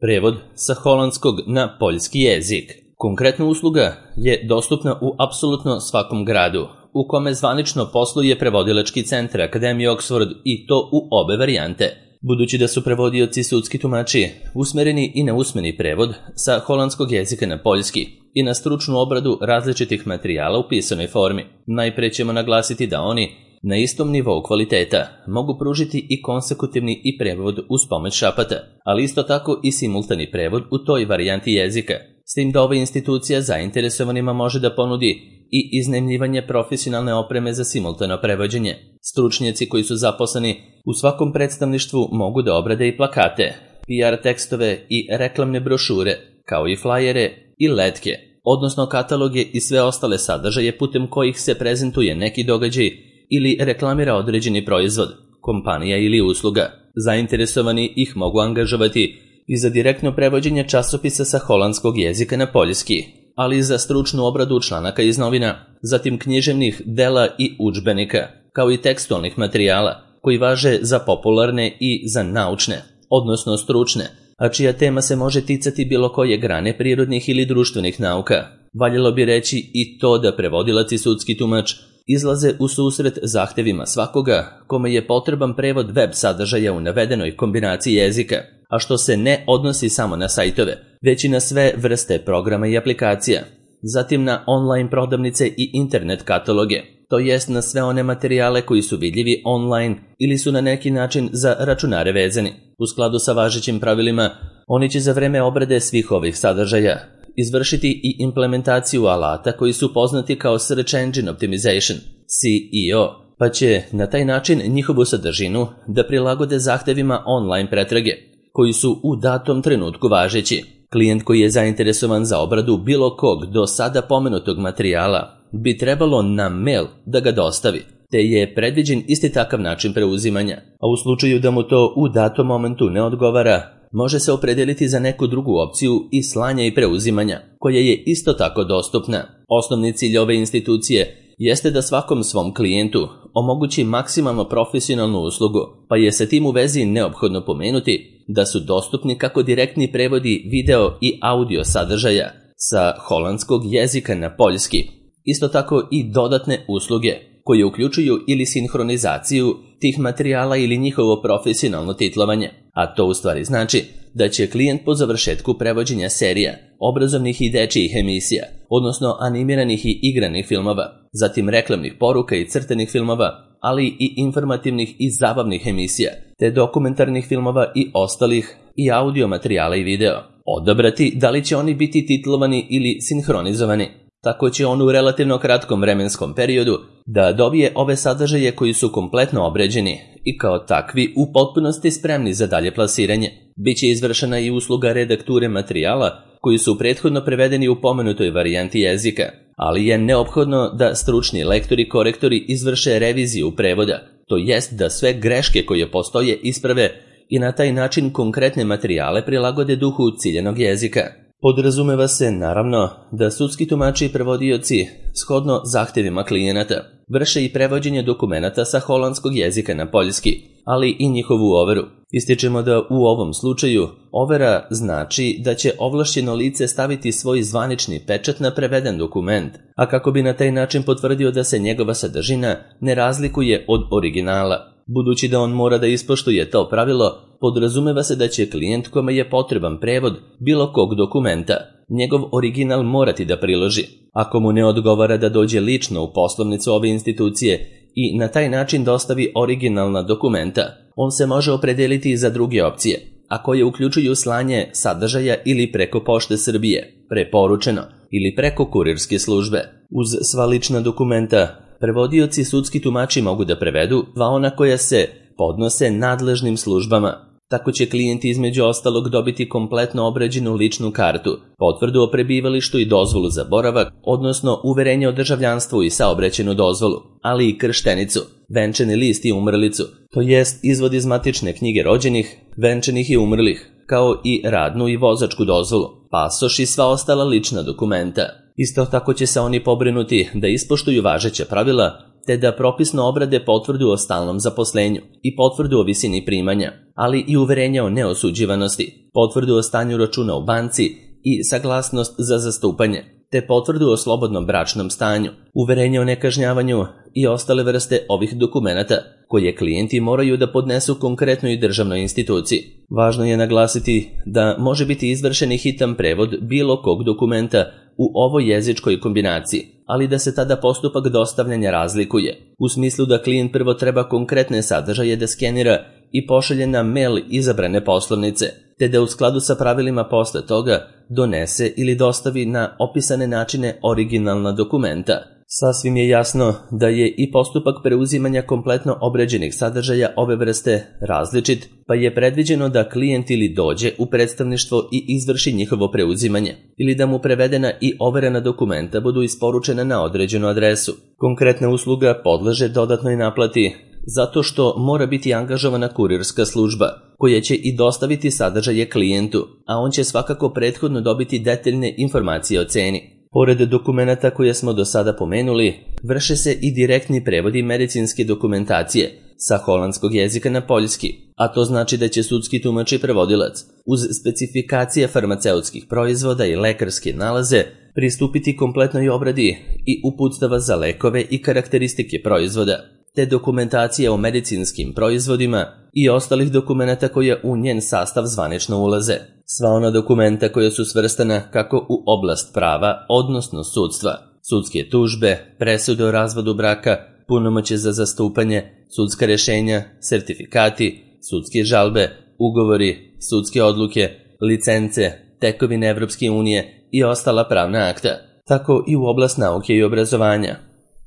Prevod sa holandskog na poljski jezik. Konkretna usluga je dostupna u apsolutno svakom gradu, u kome zvanično posluje prevodilački centar Akademije Oxford i to u obe varijante. Budući da su prevodioci sudski tumači usmereni i na usmeni prevod sa holandskog jezika na poljski i na stručnu obradu različitih materijala u pisanoj formi, najpre ćemo naglasiti da oni na istom nivou kvaliteta mogu pružiti i konsekutivni i prevod uz pomoć šapata, ali isto tako i simultani prevod u toj varijanti jezika, s tim da ova institucija zainteresovanima može da ponudi i iznajmljivanje profesionalne opreme za simultano prevođenje. Stručnjaci koji su zaposleni u svakom predstavništvu mogu da obrade i plakate, PR tekstove i reklamne brošure, kao i flajere i letke, odnosno kataloge i sve ostale sadržaje putem kojih se prezentuje neki događaj ili reklamira određeni proizvod, kompanija ili usluga. Zainteresovani ih mogu angažovati i za direktno prevođenje časopisa sa holandskog jezika na poljski, ali i za stručnu obradu članaka iz novina, zatim književnih dela i udžbenika, kao i tekstualnih materijala, koji važe za popularne i za naučne, odnosno stručne, a čija tema se može ticati bilo koje grane prirodnih ili društvenih nauka. Valjalo bi reći i to da prevodilac i sudski tumač izlaze u susret zahtevima svakoga kome je potreban prevod web sadržaja u navedenoj kombinaciji jezika, a što se ne odnosi samo na sajtove, već i na sve vrste programa i aplikacija, zatim na online prodavnice i internet kataloge, to jest na sve one materijale koji su vidljivi online ili su na neki način za računare vezani. U skladu sa važećim pravilima, oni će za vreme obrade svih ovih sadržaja izvršiti i implementaciju alata koji su poznati kao Search Engine Optimization, SEO, pa će na taj način njihovu sadržinu da prilagode zahtevima online pretrage, koji su u datom trenutku važeći. Klijent koji je zainteresovan za obradu bilo kog do sada pomenutog materijala bi trebalo na mail da ga dostavi, te je predviđen isti takav način preuzimanja, a u slučaju da mu to u datom momentu ne odgovara, može se opredeliti za neku drugu opciju i slanja i preuzimanja, koja je isto tako dostupna. Osnovni cilj ove institucije jeste da svakom svom klijentu omogući maksimalno profesionalnu uslugu, pa je sa tim u vezi neophodno pomenuti da su dostupni kako direktni prevodi video i audio sadržaja sa holandskog jezika na poljski, isto tako i dodatne usluge koje uključuju ili sinhronizaciju tih materijala ili njihovo profesionalno titlovanje, a to u stvari znači da će klijent po završetku prevođenja serija, obrazovnih i dečijih emisija, odnosno animiranih i igranih filmova, zatim reklamnih poruka i crtenih filmova, ali i informativnih i zabavnih emisija, te dokumentarnih filmova i ostalih i audio materijala i video, odabrati da li će oni biti titlovani ili sinhronizovani. Tako će on u relativno kratkom vremenskom periodu da dobije ove sadržaje koji su kompletno obređeni i kao takvi u potpunosti spremni za dalje plasiranje. Biće izvršena i usluga redakture materijala koji su prethodno prevedeni u pomenutoj varijanti jezika, ali je neophodno da stručni lektori i korektori izvrše reviziju prevoda, to jest da sve greške koje postoje isprave i na taj način konkretne materijale prilagode duhu ciljanog jezika. Podrazumeva se, naravno, da sudski tumači i prevodioci, shodno zahtevima klijenata, vrše i prevođenje dokumenata sa holandskog jezika na poljski, ali i njihovu overu. Ističemo da u ovom slučaju overa znači da će ovlašćeno lice staviti svoj zvanični pečat na preveden dokument, a kako bi na taj način potvrdio da se njegova sadržina ne razlikuje od originala. Budući da on mora da ispoštuje to pravilo, podrazumeva se da će klijent kome je potreban prevod bilo kog dokumenta, njegov original morati da priloži. Ako mu ne odgovara da dođe lično u poslovnicu ove institucije i na taj način dostavi originalna dokumenta, on se može opredeliti za druge opcije, a koje uključuju slanje sadržaja ili preko Pošte Srbije, preporučeno, ili preko kurirske službe. Uz sva lična dokumenta, prevodioci i sudski tumači mogu da prevedu ona koja se podnose nadležnim službama. Tako će klijent između ostalog dobiti kompletno obrađenu ličnu kartu, potvrdu o prebivalištu i dozvolu za boravak, odnosno uverenje o državljanstvu i saobraćajnu dozvolu, ali i krštenicu, venčani list i umrlicu, to jest izvod iz matične knjige rođenih, venčanih i umrlih, kao i radnu i vozačku dozvolu, pasoš i sva ostala lična dokumenta. Isto tako će se oni pobrinuti da ispoštuju važeća pravila, te da propisno obrade potvrdu o stalnom zaposlenju i potvrdu o visini primanja, ali i uverenja o neosuđivanosti, potvrdu o stanju računa u banci i saglasnost za zastupanje, te potvrdu o slobodnom bračnom stanju, uverenje o nekažnjavanju i ostale vrste ovih dokumenata, koje klijenti moraju da podnesu konkretnoj državnoj instituciji. Važno je naglasiti da može biti izvršen i hitan prevod bilo kog dokumenta u ovoj jezičkoj kombinaciji, ali da se tada postupak dostavljanja razlikuje, u smislu da klijent prvo treba konkretne sadržaje da skenira i pošalje na mail izabrane poslovnice, te da u skladu sa pravilima posle toga donese ili dostavi na opisane načine originalna dokumenta. Sasvim je jasno da je i postupak preuzimanja kompletno obrađenih sadržaja ove vrste različit, pa je predviđeno da klijent ili dođe u predstavništvo i izvrši njihovo preuzimanje, ili da mu prevedena i overena dokumenta budu isporučena na određenu adresu. Konkretna usluga podleže dodatnoj naplati zato što mora biti angažovana kurirska služba, koja će i dostaviti sadržaje klijentu, a on će svakako prethodno dobiti detaljne informacije o ceni. Pored dokumenata koje smo do sada pomenuli, vrše se i direktni prevodi medicinske dokumentacije sa holandskog jezika na poljski, a to znači da će sudski tumač i prevodilac, uz specifikacije farmaceutskih proizvoda i lekarske nalaze, pristupiti kompletnoj obradi i uputstava za lekove i karakteristike proizvoda, te dokumentacije o medicinskim proizvodima i ostalih dokumenata koje u njen sastav zvanično ulaze. Sva ona dokumenta koja su svrstana kako u oblast prava, odnosno sudstva, sudske tužbe, presude o razvodu braka, punomoćje za zastupanje, sudska rešenja, sertifikati, sudske žalbe, ugovori, sudske odluke, licence, tekovine Evropske unije i ostala pravna akta. Tako i u oblast nauke i obrazovanja.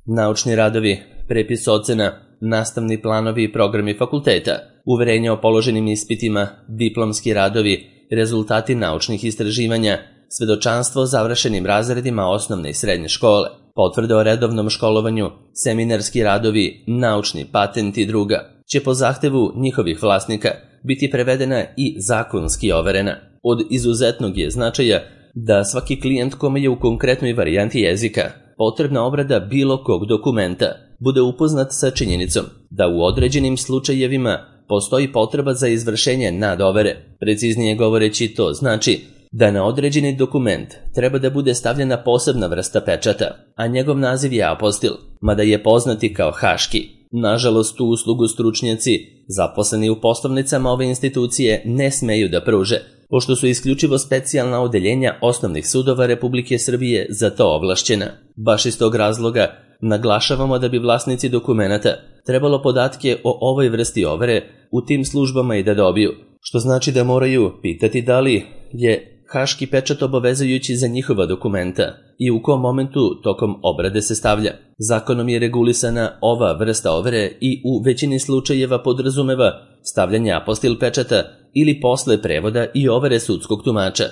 Naučni radovi, prepis ocena, nastavni planovi i programi fakulteta, uverenja o položenim ispitima, diplomski radovi, rezultati naučnih istraživanja, svedočanstvo o završenim razredima osnovne i srednje škole, potvrde o redovnom školovanju, seminarski radovi, naučni patent i druga, će po zahtevu njihovih vlasnika biti prevedena i zakonski overena. Od izuzetnog je značaja da svaki klijent kome je u konkretnoj varijanti jezika potrebna obrada bilo kog dokumenta bude upoznat sa činjenicom da u određenim slučajevima postoji potreba za izvršenje nadovere. Preciznije govoreći, to znači da na određeni dokument treba da bude stavljena posebna vrsta pečata, a njegov naziv je apostil, mada je poznati kao haški. Nažalost, tu uslugu stručnjaci zaposleni u poslovnicama ove institucije ne smeju da pruže, pošto su isključivo specijalna odeljenja osnovnih sudova Republike Srbije za to ovlašćena. Baš iz tog razloga naglašavamo da bi vlasnici dokumenata trebalo podatke o ovoj vrsti overe u tim službama i da dobiju, što znači da moraju pitati da li je haški pečat obavezujući za njihova dokumenta i u kom momentu tokom obrade se stavlja. Zakonom je regulisana ova vrsta overe i u većini slučajeva podrazumeva stavljanje apostil pečata ili posle prevoda i overe sudskog tumača,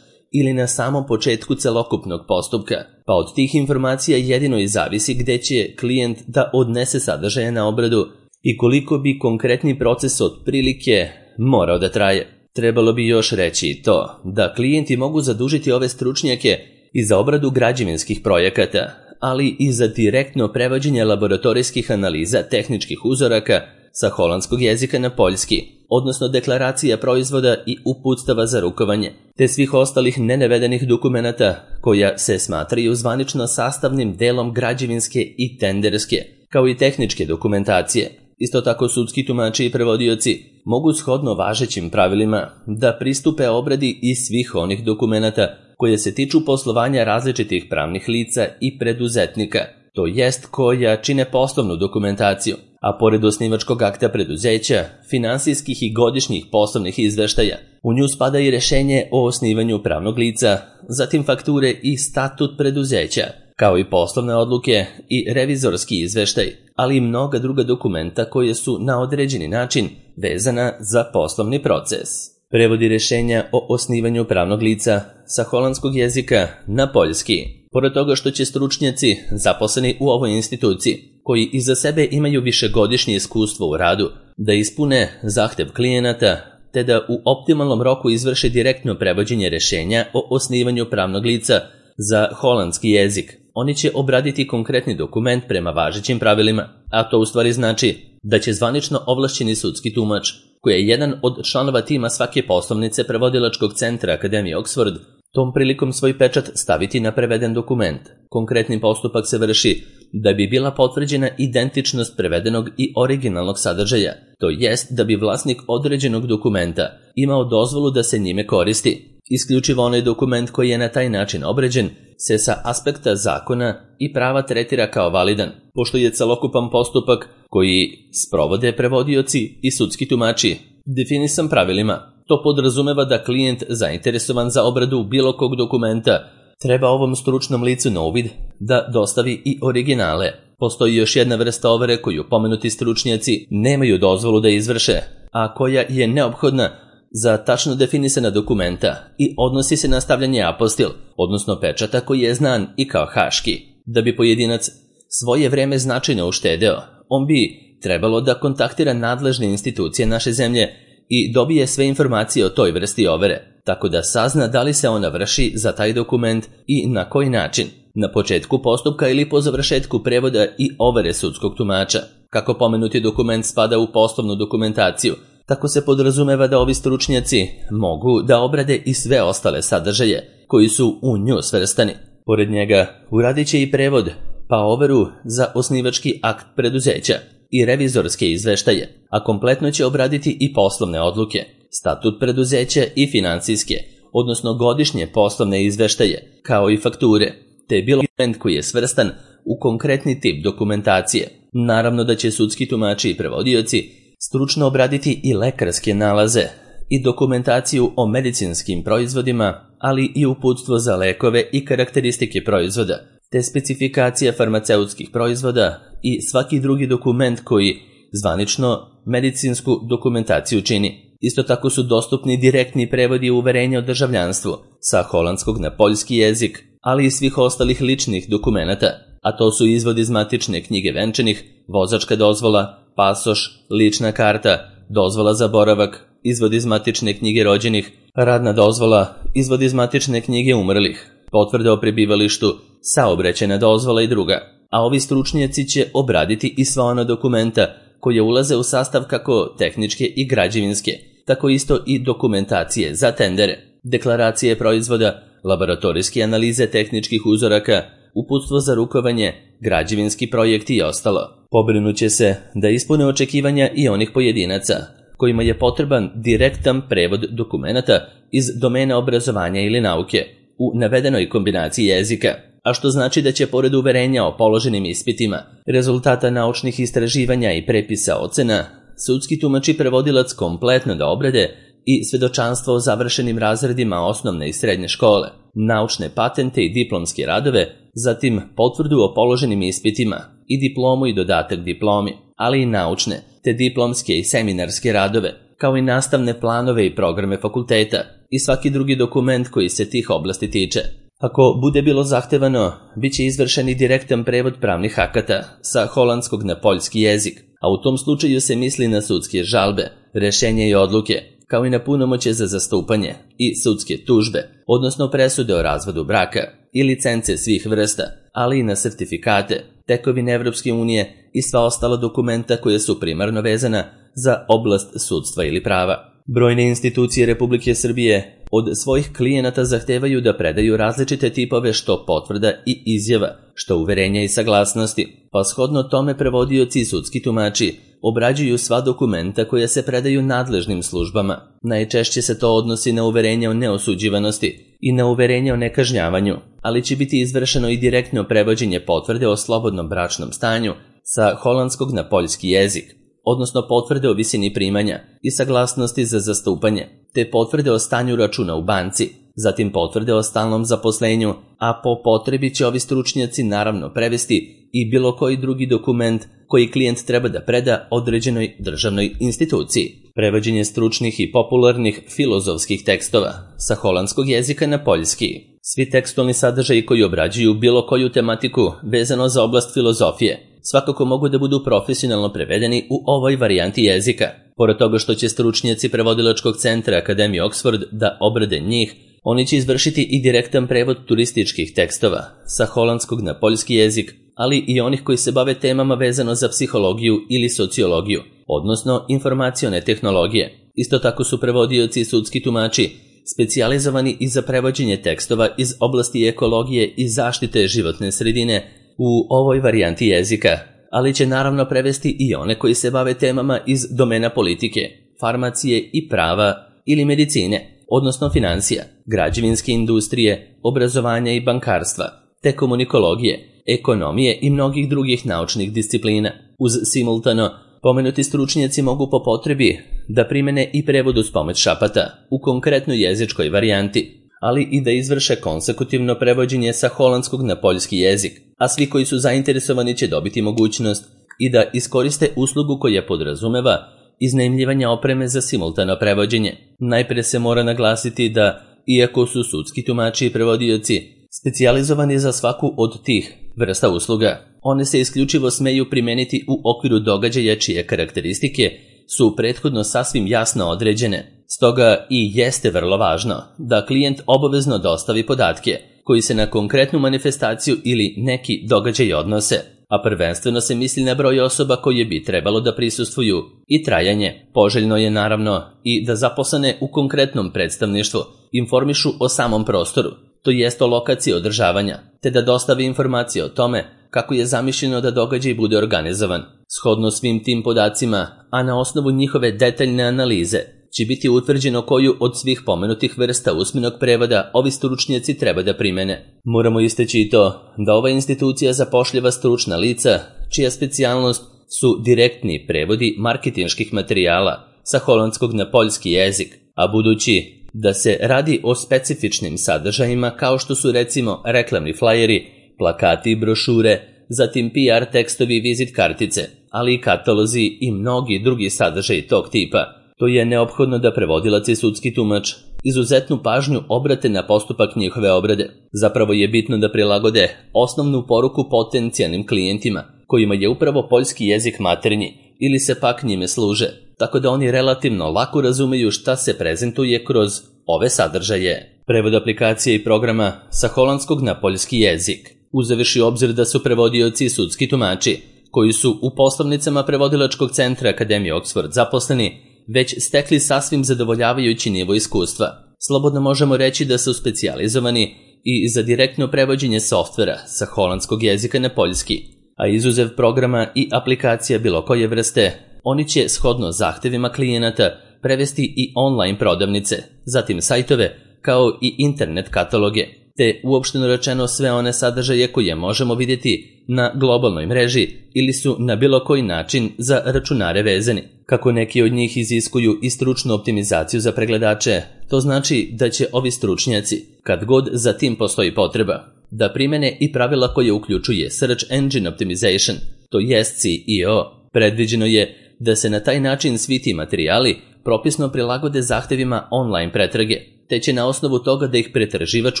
ili na samom početku celokupnog postupka, pa od tih informacija jedino i zavisi gde će klijent da odnese sadržaje na obradu i koliko bi konkretni proces otprilike morao da traje. Trebalo bi još reći i to da klijenti mogu zadužiti ove stručnjake i za obradu građevinskih projekata, ali i za direktno prevođenje laboratorijskih analiza tehničkih uzoraka sa holandskog jezika na poljski, odnosno deklaracija proizvoda i uputstava za rukovanje, te svih ostalih nenavedenih dokumenata koja se smatraju zvanično sastavnim delom građevinske i tenderske, kao i tehničke dokumentacije. Isto tako sudski tumači i prevodioci mogu shodno važećim pravilima da pristupe obradi i svih onih dokumenata koje se tiču poslovanja različitih pravnih lica i preduzetnika, to jest koja čine poslovnu dokumentaciju, a pored osnivačkog akta preduzeća, finansijskih i godišnjih poslovnih izveštaja, u nju spada i rešenje o osnivanju pravnog lica, zatim fakture i statut preduzeća, kao i poslovne odluke i revizorski izveštaj, ali i mnoga druga dokumenta koje su na određeni način vezana za poslovni proces. Prevodi rešenja o osnivanju pravnog lica sa holandskog jezika na poljski. Pored toga što će stručnjaci zaposleni u ovoj instituciji, koji iza sebe imaju višegodišnje iskustvo u radu, da ispune zahtev klijenata, te da u optimalnom roku izvrše direktno prevođenje rešenja o osnivanju pravnog lica za holandski jezik, oni će obraditi konkretni dokument prema važećim pravilima, a to u stvari znači da će zvanično ovlašćeni sudski tumač koji je jedan od članova tima svake poslovnice prevodilačkog centra Akademije Oxford, tom prilikom svoj pečat staviti na preveden dokument. Konkretni postupak se vrši da bi bila potvrđena identičnost prevedenog i originalnog sadržaja, to jest da bi vlasnik određenog dokumenta imao dozvolu da se njime koristi. Isključivo onaj dokument koji je na taj način obređen se sa aspekta zakona i prava tretira kao validan, pošto je celokupan postupak koji sprovode prevodioci i sudski tumači definisan pravilima. To podrazumeva da klijent zainteresovan za obradu bilo kog dokumenta treba ovom stručnom licu na uvid da dostavi i originale. Postoji još jedna vrsta overe koju pomenuti stručnjaci nemaju dozvolu da izvrše, a koja je neophodna za tačno definisana dokumenta i odnosi se na stavljanje apostil, odnosno pečata koji je znan i kao haški. Da bi pojedinac svoje vreme značajno uštedeo, on bi trebalo da kontaktira nadležne institucije naše zemlje i dobije sve informacije o toj vrsti overe, tako da sazna da li se ona vrši za taj dokument i na koji način, na početku postupka ili po završetku prevoda i overe sudskog tumača. Kako pomenuti dokument spada u poslovnu dokumentaciju, tako se podrazumeva da ovi stručnjaci mogu da obrade i sve ostale sadržaje koji su u nju svrstani. Pored njega uradit će i prevod, pa overu za osnivački akt preduzeća i revizorske izveštaje, a kompletno će obraditi i poslovne odluke, statut preduzeća i finansijske, odnosno godišnje poslovne izveštaje, kao i fakture, te bilo dokument koji je svrstan u konkretni tip dokumentacije. Naravno da će sudski tumači i prevodioci stručno obraditi i lekarske nalaze i dokumentaciju o medicinskim proizvodima, ali i uputstvo za lekove i karakteristike proizvoda, te specifikacija farmaceutskih proizvoda i svaki drugi dokument koji zvanično medicinsku dokumentaciju čini. Isto tako su dostupni direktni prevodi uverenja o državljanstvu sa holandskog na poljski jezik, ali i svih ostalih ličnih dokumenata, a to su izvod iz matične knjige venčanih, vozačka dozvola, pasoš, lična karta, dozvola za boravak, izvod iz matične knjige rođenih, radna dozvola, izvod iz matične knjige umrlih, potvrda o prebivalištu, saobraćajna dozvola i druga. A ovi stručnjaci će obraditi i sva ona dokumenta koje ulaze u sastav kako tehničke i građevinske, tako isto i dokumentacije za tendere, deklaracije proizvoda, laboratorijske analize tehničkih uzoraka, uputstvo za rukovanje, građevinski projekti i ostalo. Pobrinuće se da ispune očekivanja i onih pojedinaca kojima je potreban direktan prevod dokumenata iz domena obrazovanja ili nauke u navedenoj kombinaciji jezika, a što znači da će pored uverenja o položenim ispitima, rezultata naučnih istraživanja i prepisa ocena, sudski tumač i prevodilac kompletno da obrade i svedočanstvo o završenim razredima osnovne i srednje škole, naučne patente i diplomske radove, zatim potvrdu o položenim ispitima i diplomu i dodatak diplomi, ali i naučne, te diplomske i seminarske radove, kao i nastavne planove i programe fakulteta i svaki drugi dokument koji se tih oblasti tiče. Ako bude bilo zahtevano, bit će izvršen i direktan prevod pravnih akata sa holandskog na poljski jezik, a u tom slučaju se misli na sudske žalbe, rešenja i odluke, kao i na punomoćje za zastupanje i sudske tužbe, odnosno presude o razvodu braka i licence svih vrsta, ali i na sertifikate, tekovine Evropske unije i sva ostala dokumenta koja su primarno vezana za oblast sudstva ili prava. Brojne institucije Republike Srbije od svojih klijenata zahtevaju da predaju različite tipove što potvrda i izjava, što uverenja i saglasnosti, pa shodno tome prevodioci i sudski tumači obrađuju sva dokumenta koja se predaju nadležnim službama. Najčešće se to odnosi na uverenje o neosuđivanosti i na uverenje o nekažnjavanju, ali će biti izvršeno i direktno prevođenje potvrde o slobodnom bračnom stanju sa holandskog na poljski jezik, odnosno potvrde o visini primanja i saglasnosti za zastupanje, te potvrde o stanju računa u banci, zatim potvrde o stalnom zaposlenju, a po potrebi će ovi stručnjaci naravno prevesti i bilo koji drugi dokument koji klijent treba da preda određenoj državnoj instituciji. Prevođenje stručnih i popularnih filozofskih tekstova sa holandskog jezika na poljski. Svi tekstualni sadržaji koji obrađuju bilo koju tematiku vezano za oblast filozofije svakako mogu da budu profesionalno prevedeni u ovoj varijanti jezika. Pored toga što će stručnjaci prevodilačkog centra Akademije Oxford da obrade njih, oni će izvršiti i direktan prevod turističkih tekstova sa holandskog na poljski jezik, ali i onih koji se bave temama vezano za psihologiju ili sociologiju, odnosno informacione tehnologije. Isto tako su prevodioci i sudski tumači specijalizovani i za prevođenje tekstova iz oblasti ekologije i zaštite životne sredine u ovoj varijanti jezika, ali će naravno prevesti i one koji se bave temama iz domena politike, farmacije i prava ili medicine, odnosno financija, građevinske industrije, obrazovanja i bankarstva, te komunikologije, ekonomije i mnogih drugih naučnih disciplina. Uz simultano, pomenuti stručnjaci mogu po potrebi da primene i prevod uz pomoć šapata u konkretnoj jezičkoj varijanti, ali i da izvrše konsekutivno prevođenje sa holandskog na poljski jezik, a svi koji su zainteresovani će dobiti mogućnost i da iskoriste uslugu koja podrazumeva iznajmljivanja opreme za simultano prevođenje. Najpre se mora naglasiti da, iako su sudski tumači i prevodioci specijalizovani za svaku od tih vrsta usluga, one se isključivo smeju primeniti u okviru događaja čije karakteristike su prethodno sasvim jasno određene. Stoga i jeste vrlo važno da klijent obavezno dostavi podatke koji se na konkretnu manifestaciju ili neki događaj odnose, a prvenstveno se misli na broj osoba koje bi trebalo da prisustvuju i trajanje. Poželjno je naravno i da zaposlene u konkretnom predstavništvu informišu o samom prostoru, to jest o lokaciji održavanja, te da dostavi informacije o tome kako je zamišljeno da događaj bude organizovan. Shodno svim tim podacima, a na osnovu njihove detaljne analize, će biti utvrđeno koju od svih pomenutih vrsta usmenog prevoda ovi stručnjaci treba da primene. Moramo istaći i to da ova institucija zapošljava stručna lica, čija specijalnost su direktni prevodi marketinških materijala sa holandskog na poljski jezik, a budući da se radi o specifičnim sadržajima kao što su recimo reklamni flajeri, plakati i brošure, zatim PR tekstovi i vizit kartice, ali i katalozi i mnogi drugi sadržaji tog tipa, to je neophodno da prevodilac i sudski tumač izuzetnu pažnju obrate na postupak njihove obrade. Zapravo je bitno da prilagode osnovnu poruku potencijalnim klijentima, kojima je upravo poljski jezik maternji ili se pak njime služe, tako da oni relativno lako razumeju šta se prezentuje kroz ove sadržaje. Prevod aplikacije i programa sa holandskog na poljski jezik, uzevši obzir da su prevodioci i sudski tumači, koji su u poslovnicama prevodilačkog centra Akademije Oxford zaposleni, već stekli sasvim zadovoljavajući nivo iskustva. Slobodno možemo reći da su specijalizovani i za direktno prevođenje softvera sa holandskog jezika na poljski, a izuzev programa i aplikacija bilo koje vrste, oni će shodno zahtevima klijenata prevesti i online prodavnice, zatim sajtove, kao i internet kataloge, te uopšteno rečeno sve one sadržaje koje možemo vidjeti na globalnoj mreži ili su na bilo koji način za računare vezani. Kako neki od njih iziskuju i stručnu optimizaciju za pregledače, to znači da će ovi stručnjaci, kad god za tim postoji potreba, da primene i pravila koje uključuje Search Engine Optimization, to jest SEO. Predviđeno je da se na taj način svi ti materijali propisno prilagode zahtevima online pretrage, te će na osnovu toga da ih pretraživač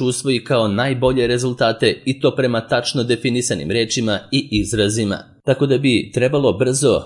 usvoji kao najbolje rezultate i to prema tačno definisanim rečima i izrazima. Tako da bi trebalo brzo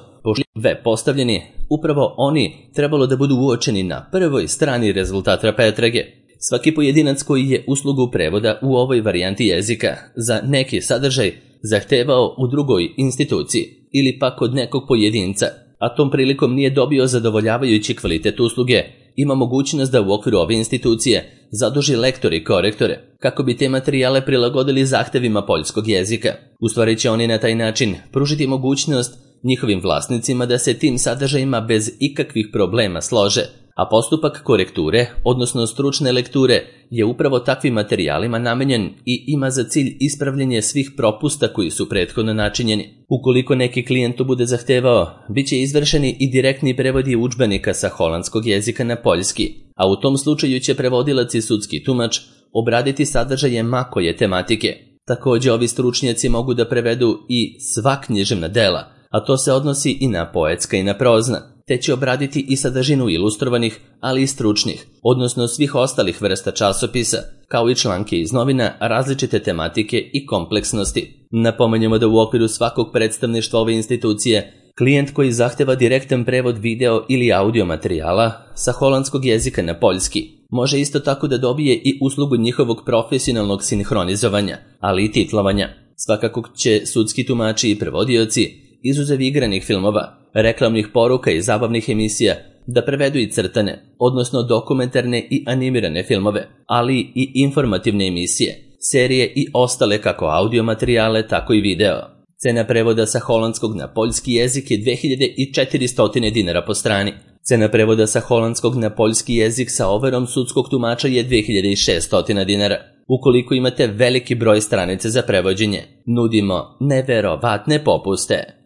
web postavljeni, upravo oni trebalo da budu uočeni na prvoj strani rezultata pretrage. Svaki pojedinac koji je uslugu prevoda u ovoj varijanti jezika za neki sadržaj zahtevao u drugoj instituciji ili pak od nekog pojedinca, a tom prilikom nije dobio zadovoljavajući kvalitet usluge, ima mogućnost da u okviru ove institucije zaduži lektore i korektore kako bi te materijale prilagodili zahtevima poljskog jezika. U stvari će oni na taj način pružiti mogućnost njihovim vlasnicima da se tim sadržajima bez ikakvih problema slože, a postupak korekture, odnosno stručne lekture, je upravo takvim materijalima namenjen i ima za cilj ispravljanje svih propusta koji su prethodno načinjeni. Ukoliko neki klijent to bude zahtevao, bit će izvršeni i direktni prevodi udžbenika sa holandskog jezika na poljski, a u tom slučaju će prevodilac i sudski tumač obraditi sadržaje ma koje tematike. Također ovi stručnjaci mogu da prevedu i sva književna dela, a to se odnosi i na poetska i na prozna, te će obraditi i sadržinu ilustrovanih, ali i stručnih, odnosno svih ostalih vrsta časopisa, kao i članke iz novina različite tematike i kompleksnosti. Napomenjamo da u okviru svakog predstavništva ove institucije, klijent koji zahteva direktan prevod video ili audio materijala sa holandskog jezika na poljski može isto tako da dobije i uslugu njihovog profesionalnog sinhronizovanja, ali i titlovanja. Svakako će sudski tumači i prevodioci izuzev igranih filmova, reklamnih poruka i zabavnih emisija, da prevedu i crtane, odnosno dokumentarne i animirane filmove, ali i informativne emisije, serije i ostale kako audio materijale, tako i video. Cena prevoda sa holandskog na poljski jezik je 2400 dinara po strani. Cena prevoda sa holandskog na poljski jezik sa overom sudskog tumača je 2600 dinara. Ukoliko imate veliki broj stranica za prevođenje, nudimo neverovatne popuste.